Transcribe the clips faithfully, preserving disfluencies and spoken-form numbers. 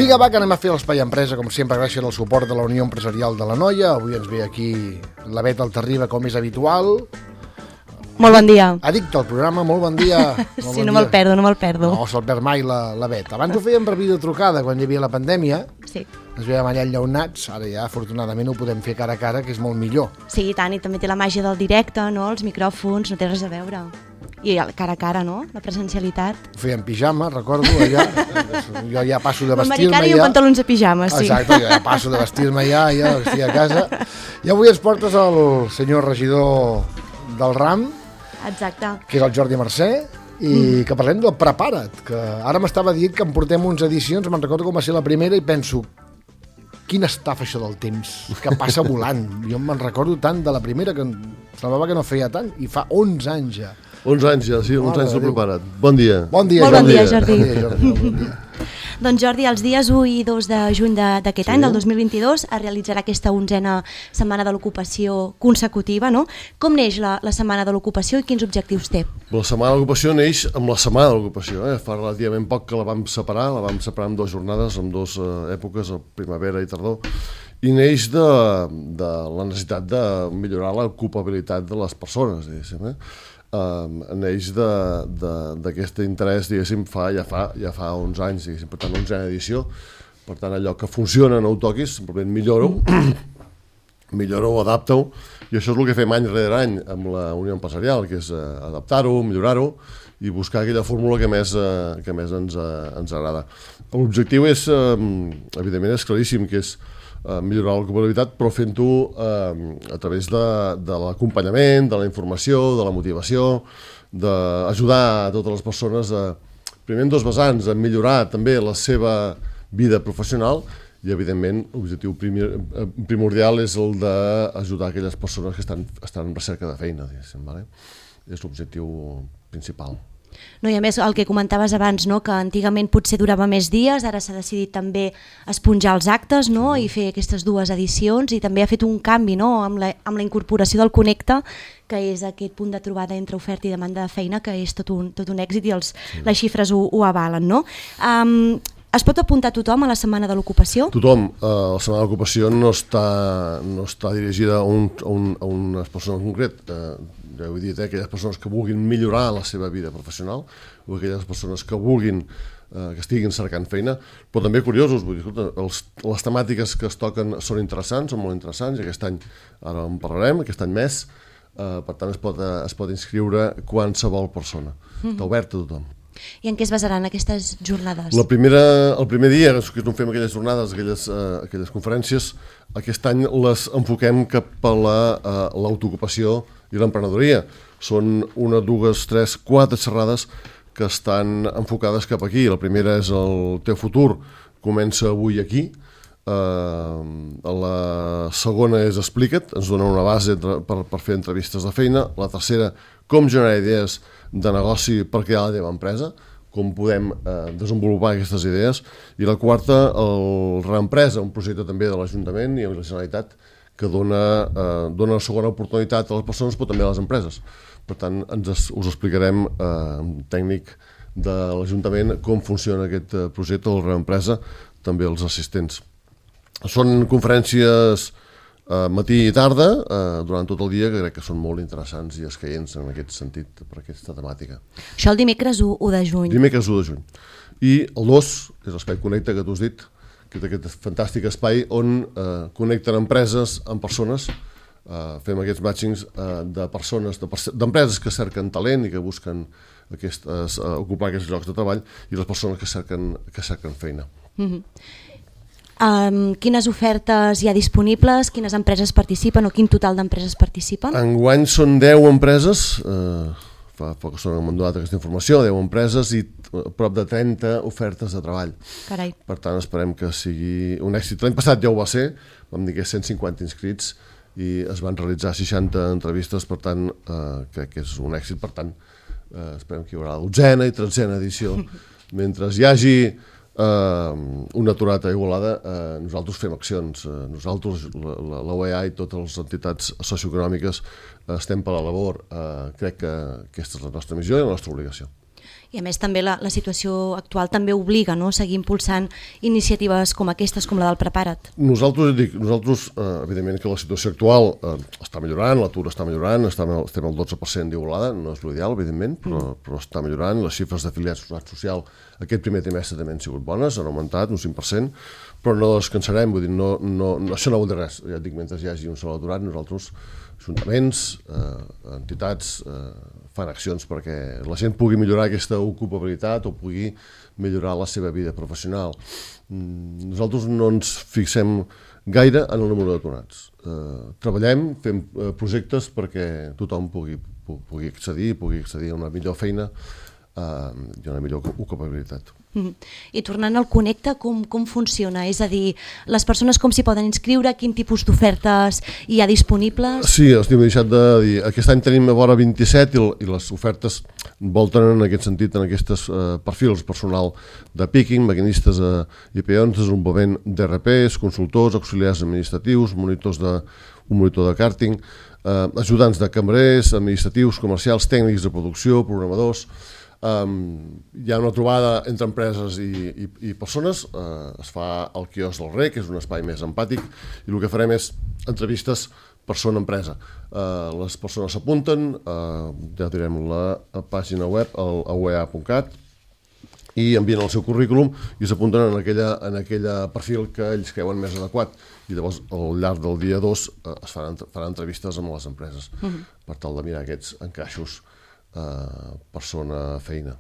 Vinga, va, que anem a fer l'Espai Empresa, com sempre, gràcies al suport de la Unió Empresarial de l'Anoia. Avui ens ve aquí la Bet Altarriba, com és habitual. Molt bon dia. Addicte al programa, molt bon dia. Molt sí, bon no dia. me'l perdo, no me'l perdo. No se'l perd mai la, la Bet. Abans ho fèiem per videotrucada, quan hi havia la pandèmia. Sí. Ens veiem allà enllaunats, ara ja afortunadament ho podem fer cara a cara, que és molt millor. Sí, i tant, i també té la màgia del directe, no? Els micròfons, no té res a veure. I el cara a cara, no? La presencialitat. Ho feia en pijama, recordo, allà. Jo ja passo de vestir-me L'americana i ja. en pantalons de pijama, sí. Exacte, jo ja passo de vestir-me ja, ja vestir a casa. I avui ens portes el senyor regidor del RAM, Exacte. que és el Jordi Mercè, i mm. que parlem del Prepara't, que ara m'estava dient que en portem uns edicions, me'n recordo com va ser la primera i penso, quina estafa això del temps, que passa volant. Jo me'n recordo tant de la primera que semblava que no feia tant, i fa onze anys ja. onze anys ja, sí, onze anys de Prepara't. Bon dia. Bon dia, Molt Jordi. bon dia, Jordi. Bon dia, Jordi. Bon dia. Doncs Jordi, els dies u i dos de juny d'aquest sí. any, del dos mil vint-i-dos, es realitzarà aquesta onzena setmana de l'ocupació consecutiva, no? Com neix la, la setmana de l'ocupació i quins objectius té? La setmana de l'ocupació neix amb la setmana de l'ocupació, eh? Fa relativament poc que la vam separar, la vam separar en dues jornades, en dues eh, èpoques, primavera i tardor, i neix de, de la necessitat de millorar l'ocupabilitat de les persones, diguéssim, eh? Um, neix d'aquest interès, diguéssim, fa, ja, fa, ja fa onze anys, diguéssim, per tant, onzena edició, per tant, allò que funciona no ho toquis, simplement millora-ho, millora-ho, adapta-ho, i això és el que fem any rere any amb la Unió Empresarial, que és uh, adaptar-ho, millorar-ho, i buscar aquella fórmula que més, uh, que més ens, uh, ens agrada. L'objectiu és, uh, evidentment, és claríssim, que és Uh, millorar l'ocupabilitat, però fent-ho uh, a través de, de l'acompanyament, de la informació, de la motivació, d'ajudar a totes les persones a, primer en dos vessants, a millorar també la seva vida professional i, evidentment, l'objectiu primordial és el d'ajudar aquelles persones que estan, estan en recerca de feina, diguéssim, vale? És l'objectiu principal. No, i a més, el que comentaves abans, no? Que antigament potser durava més dies, ara s'ha decidit també esponjar els actes, no? I fer aquestes dues edicions, i també ha fet un canvi, no? amb, la, amb la incorporació del Connecta, que és aquest punt de trobada entre oferta i demanda de feina, que és tot un, tot un èxit i els, sí. les xifres ho, ho avalen. No? Um, es pot apuntar tothom a la Setmana de l'Ocupació? Tothom. Uh, la Setmana de l'Ocupació no està, no està dirigida a, un, a, un, a unes persones en concret. Uh, ja ho he dit, eh, aquelles persones que vulguin millorar la seva vida professional o aquelles persones que vulguin eh, que estiguin cercant feina, però també curiosos, vull dir, escolta, els, les temàtiques que es toquen són interessants, són molt interessants, i aquest any ara en parlarem, aquest any més, eh, per tant es pot, eh, es pot inscriure qualsevol persona, mm-hmm. Està obert a tothom. I en què es basaran aquestes jornades? La primera, el primer dia que no fem aquelles jornades, aquelles, uh, aquelles conferències, aquest any les enfoquem cap a l'autoocupació la, uh, i l'emprenedoria. Són una, dues, tres, quatre xerrades que estan enfocades cap aquí. La primera és el teu futur, comença avui aquí. Uh, la segona és Explica't, ens dona una base per, per fer entrevistes de feina. La tercera, com generar idees de negoci per crear la teva empresa, com podem eh, desenvolupar aquestes idees, i la quarta, el Reempresa, un projecte també de l'Ajuntament i de la Generalitat que dona, eh, dona una segona oportunitat a les persones però també a les empreses. Per tant, ens, us explicarem eh, amb tècnic de l'Ajuntament com funciona aquest projecte, el Reempresa, també els assistents. Són conferències Uh, matí i tarda, uh, durant tot el dia, que crec que són molt interessants i escaients en aquest sentit, per aquesta temàtica. Això el dimecres u de juny. Dimecres u de juny. I el dos és l'Espai Connecta, que tu has dit, que és aquest fantàstic espai on uh, connecten empreses amb persones, uh, fem aquests matchings uh, de persones, d'empreses que cerquen talent i que busquen aquestes, uh, ocupar aquests llocs de treball, i les persones que cerquen, que cerquen feina. Mm-hmm. Um, quines ofertes hi ha disponibles, quines empreses participen o quin total d'empreses participen? Enguany són deu empreses, eh, fa poc que m'han donat aquesta informació, deu empreses i prop de trenta ofertes de treball. Carai. Per tant, esperem que sigui un èxit. L'any passat ja ho va ser, vam dir que cent cinquanta inscrits i es van realitzar seixanta entrevistes, per tant, eh, crec que és un èxit, per tant, eh, esperem que hi haurà la dotzena i tretzena edició. Mentre hi hagi Uh, una aturada a Igualada, uh, nosaltres fem accions, uh, nosaltres, la, la O E A i totes les entitats socioeconòmiques uh, estem per la labor, uh, crec que aquesta és la nostra missió i la nostra obligació. I a més també la, la situació actual també obliga, no?, a seguir impulsant iniciatives com aquestes, com la del Prepara't. Nosaltres, dic, nosaltres eh, evidentment que la situació actual eh, està millorant, l'atur està millorant, estem, estem al dotze per cent d'igualada, no és l'ideal, evidentment, però, mm. però està millorant. Les xifres d'afiliats a la Seguretat Social aquest primer trimestre també han sigut bones, han augmentat un cinc per cent, però no descansarem, vull dir, no, no, no, això no vol dir res. Ja et dic, mentre hi hagi un sol aturat, nosaltres, ajuntaments, eh, entitats, eh, fan accions perquè la gent pugui millorar aquesta ocupabilitat o pugui millorar la seva vida professional. Nosaltres no ens fixem gaire en el número d'aturats. Eh, treballem, fem eh, projectes perquè tothom pugui, pugui accedir, pugui accedir a una millor feina eh, i una millor ocupabilitat. Mm. I tornant al Connecta, com, com funciona? És a dir, les persones com s'hi poden inscriure, quin tipus d'ofertes hi ha disponibles? Sí, els tinc deixat de dir. Aquest any tenim a vora vint-i-set i, i les ofertes volten en aquest sentit, en aquests eh, perfils personal de picking, maquinistes eh, i peons, desenvolupament d'R Ps, consultors, auxiliars administratius, monitors de, un monitor de càrting, eh, ajudants de cambrers, administratius, comercials, tècnics de producció, programadors. Um, hi ha una trobada entre empreses i, i, i persones, uh, es fa al quiosc del Rec, que és un espai més empàtic, i el que farem és entrevistes persona-empresa. Uh, les persones s'apunten, uh, ja direm la pàgina web, el a u e a punt cat, i envien el seu currículum i s'apunten en aquella, en aquella perfil que ells creuen més adequat. I llavors, al llarg del dia dos, uh, es faran, faran entrevistes amb les empreses, uh-huh. per tal de mirar aquests encaixos Uh, persona, feina.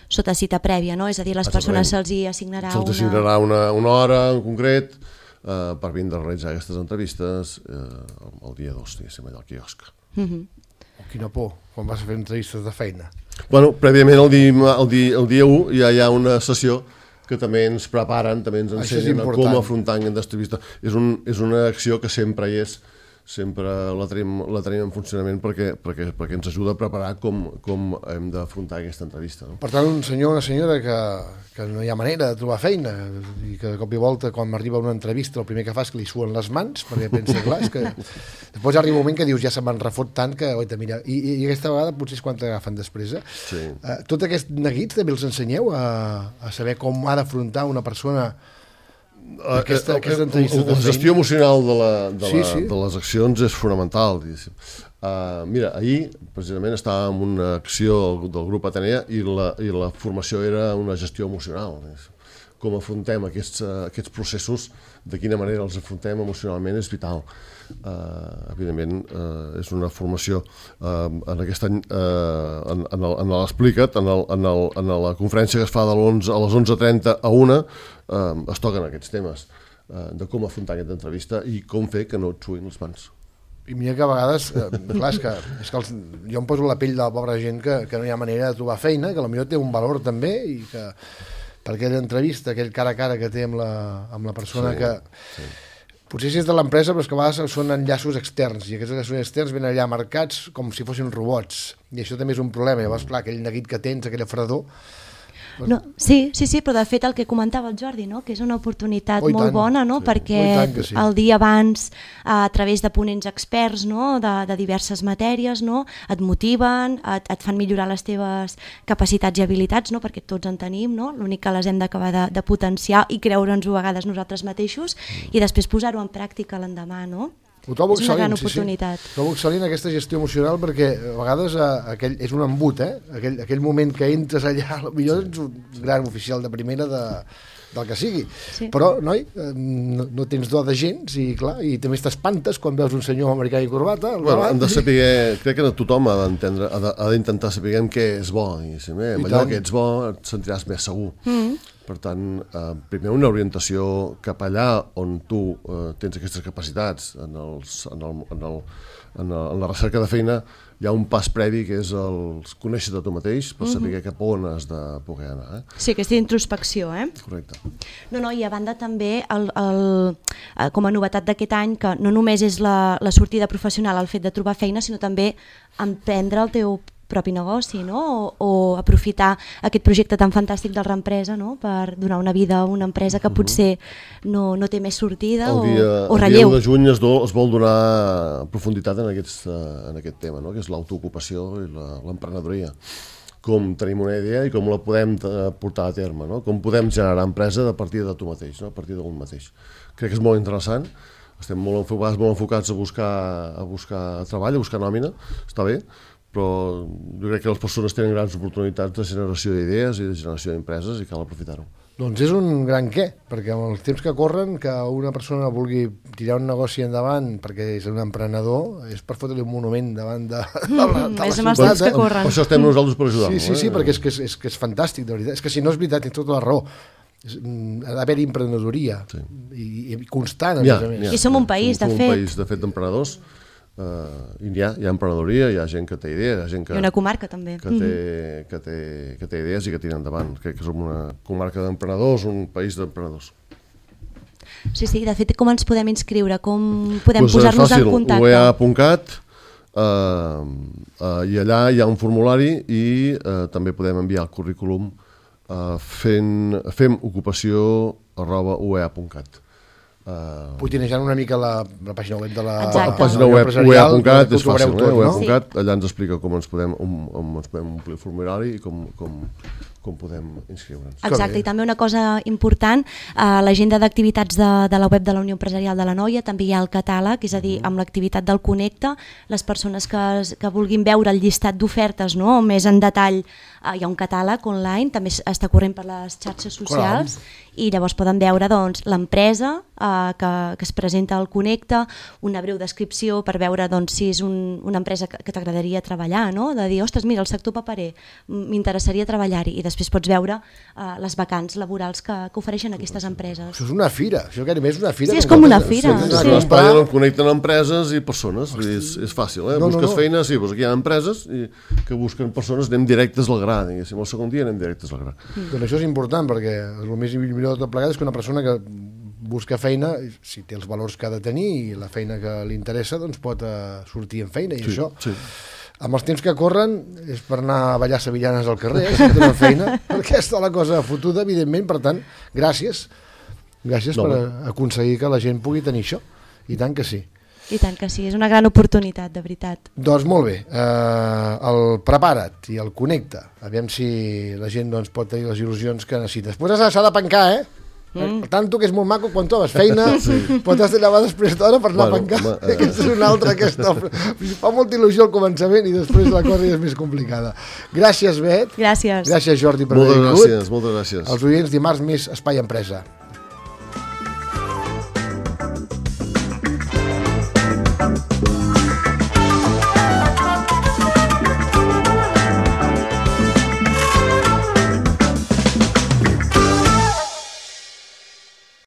Sota cita prèvia, no? És a dir, les persones se'ls hi assignarà se'ls una... assignarà una, una hora en concret uh, per vindre a realitzar aquestes entrevistes uh, el dia dos, diguéssim, allà al quiosc. Uh-huh. Oh, quina por, quan vas a fer entrevistes de feina. Bueno, prèviament el dia, el dia, el dia u ja hi ha una sessió que també ens preparen, també ens ensenyen com afrontar aquesta entrevista. És, un, és una acció que sempre hi és, sempre la tenim, la tenim en funcionament perquè, perquè, perquè ens ajuda a preparar com, com hem d'afrontar aquesta entrevista. No? Per tant, un senyor o una senyora que, que no hi ha manera de trobar feina i que de cop i volta, quan arriba una entrevista, el primer que fa és que li suen les mans, perquè pensa, clar, és que després arriba un moment que dius, ja se me'n refot tant que, oita, mira, i, i aquesta vegada potser és quan t'agafen després. Eh? Sí. Uh, tot aquests neguits també els ensenyeu a, a saber com ha d'afrontar una persona aquesta, aquesta entrevista. La gestió emocional de, la, de, sí, la, sí. de les accions és fonamental. Uh, mira, ahir precisament estava en una acció del grup Atenea i la, i la formació era una gestió emocional. Com afrontem aquests, uh, aquests processos, de quina manera els afrontem emocionalment és vital. Uh, evidentment uh, és una formació uh, en aquest any uh, en, en, el, en l'Explica't, en, el, en, el, en la conferència que es fa de l'onze a les onze trenta a una uh, es toquen aquests temes uh, de com afrontar aquesta entrevista i com fer que no et suïn les mans. I mira que a vegades, eh, clar, és que, és que els, jo em poso la pell de la pobra gent que, que no hi ha manera de trobar feina, que potser té un valor també i que per aquella entrevista, aquell cara a cara que té amb la, amb la persona sí, que... Sí. Potser si és de l'empresa, però és que a vegades són enllaços externs, i aquests enllaços externs venen allà marcats com si fossin robots, i això també és un problema. Llavors, clar, aquell neguit que tens, aquella fredor... No, sí, sí, sí, però de fet el que comentava el Jordi, no? Que és una oportunitat oh, molt tant. bona, no? Sí. Perquè oh, sí. el dia abans, a través de ponents experts, no? de, de diverses matèries, no? Et motiven, et, et fan millorar les teves capacitats i habilitats, no? Perquè tots en tenim, no? L'únic que les hem d'acabar de, de potenciar i creure'ns-ho a vegades nosaltres mateixos i després posar-ho en pràctica l'endemà, no? Ho trobo és una gran sí, oportunitat. Sí. Trobo excel·lent aquesta gestió emocional perquè a vegades eh, aquell, és un embut, eh? aquell, aquell moment que entres allà, potser ets un gran oficial de primera de, del que sigui, sí. Però noi, eh, no, no tens do de gens i clar, i també t'espantes quan veus un senyor americà i corbata. Bueno, hem de saber, crec que tothom ha d'entendre, ha d'intentar saber què és bo, i si bé, amb allò que ets bo et sentiràs més segur. Mm. Per tant, eh, primer una orientació cap allà on tu eh, tens aquestes capacitats en, els, en, el, en, el, en, el, en la recerca de feina hi ha un pas previ que és el conèixer-te tu mateix per saber mm-hmm. cap on has de poder anar. Eh? Sí, aquesta introspecció. Eh? Correcte. No, no, i a banda també, el, el, com a novetat d'aquest any, que no només és la, la sortida professional el fet de trobar feina, sinó també emprendre el teu propi negoci, no? O, o aprofitar aquest projecte tan fantàstic del Reempresa, no? Per donar una vida a una empresa que potser no, no té més sortida el dia, o, o relleu. El dia de juny es, do, es vol donar profunditat en, aquests, en aquest tema, no? Que és l'autoocupació i l'emprenedoria. com tenim una idea i com la podem portar a terme, no? Com podem generar empresa a partir de tu mateix, no? A partir d'un mateix. Crec que és molt interessant, estem molt enfocats, molt enfocats a buscar, a buscar treball, a buscar nòmina, està bé, però jo crec que les persones tenen grans oportunitats de generació d'idees i de generació d'empreses i cal aprofitar-ho. Doncs és un gran què, perquè amb els temps que corren, que una persona vulgui tirar un negoci endavant perquè és un emprenedor, és per fotre-li un monument davant de, de la, de la és amb els temps que corren. Per això estem nosaltres per ajudar-lo. Sí, sí, sí, eh? perquè és que és, és que és fantàstic, de veritat. És que si no és veritat, tens tota la raó. És, ha d'haver-hi emprenedoria sí. i, i constant, a ha, més a més. I som un país, som, de som fet. un país, de fet, d'emprenedors. Uh, hi, ha, hi ha emprenedoria, hi ha gent que té idees, hi ha gent que, I una comarca també que, té, que, té, que té idees i que tira endavant. Crec que som una comarca d'emprenedors, un país d'emprenedors. Sí, sí, de fet, com ens podem inscriure? Com podem pues posar-nos en contacte? u e a punt cat uh, uh, i allà hi ha un formulari i uh, també podem enviar el currículum uh, fent, fem ocupació arroba u e a punt cat. Uh, Putinejant una mica la, la pàgina web de la, Exacte. la pàgina web u e a punt cat és fàcil, tot, eh? u e a no? punt cat, allà ens explica com ens podem, on, on ens podem omplir el formulari i com, com, com podem inscriure'ns. Exacte, i també una cosa important, a l'agenda d'activitats de, de la web de la Unió Empresarial de l'Anoia també hi ha el catàleg, és a dir, amb l'activitat del Connecta, les persones que, que vulguin veure el llistat d'ofertes, no? Més en detall, eh, hi ha un catàleg online, també està corrent per les xarxes socials, Clar. I llavors poden veure doncs, l'empresa eh, que, que es presenta al Connecta, una breu descripció per veure doncs, si és un, una empresa que, que t'agradaria treballar, no? De dir, ostres, mira, el sector paperer, m'interessaria treballar-hi, i després pots veure uh, les vacants laborals que, que ofereixen aquestes empreses. Això és una fira, això gairebé és una fira. Sí, és com una fira. Sí, sí. L'espai on connecten empreses i persones, vull dir, és, és fàcil, eh? No, Busques no, no. feina, sí, doncs aquí hi ha empreses i, que busquen persones, anem directes al gra, diguéssim, el segon dia anem directes al gra. Mm. Doncs això és important, perquè el més millor de tot plegat és que una persona que busca feina, si té els valors que ha de tenir i la feina que li interessa, doncs pot uh, sortir en feina, i sí, això... Sí. Amb els temps que corren és per anar a ballar sevillanes al carrer, eh, si tenen feina, perquè està la cosa fotuda, evidentment, per tant, gràcies, gràcies no, per bé. aconseguir que la gent pugui tenir això, i tant que sí. I tant que sí, és una gran oportunitat, de veritat. Doncs molt bé, eh, el prepara't i el connecta, aviam si la gent doncs, pot tenir les il·lusions que necessita. Després s'ha de pencar, eh? Mm. Tanto que és molt maco quan tu has feina, sí. Pot has de llevar després d'hora per anar bueno, a pencar. Eh. Aquest és un altre que està... fa molta il·lusió al començament i després la cosa és més complicada. Gràcies, Bet. Gràcies. Gràcies, Jordi, per haver vingut. Moltes gràcies, moltes gràcies. Els oients, dimarts més Espai Empresa.